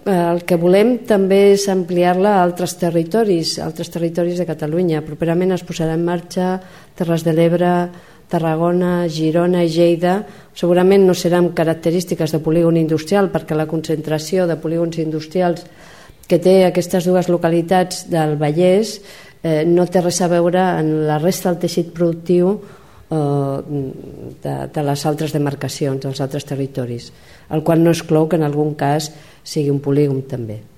el que volem també és ampliar-la a altres territoris de Catalunya. Properament es posarà en marxa Terres de l'Ebre, Tarragona, Girona i Lleida. Segurament no seran característiques de polígon industrial, perquè la concentració de polígons industrials que té aquestes dues localitats del Vallès no té res a veure en la resta del teixit productiu de les altres demarcacions, dels altres territoris, el qual no exclou que en algun cas sigui un polígon també.